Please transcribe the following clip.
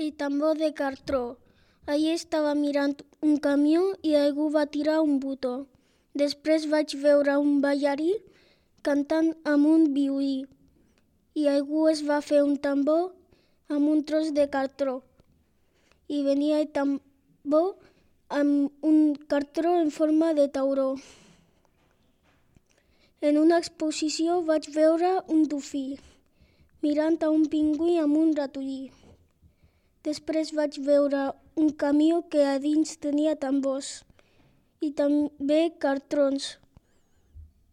i tambor de cartró. Allí estava mirant un camió i algú va tirar un botó. Després vaig veure un ballarí cantant amb un violí i algú es va fer un tambor amb un tros de cartró. I venia el tambor amb un cartró en forma de tauró. En una exposició vaig veure un dofí mirant a un pingüí amb un ratolí. Després vaig veure un camió que a dins tenia tambors i també cartrons.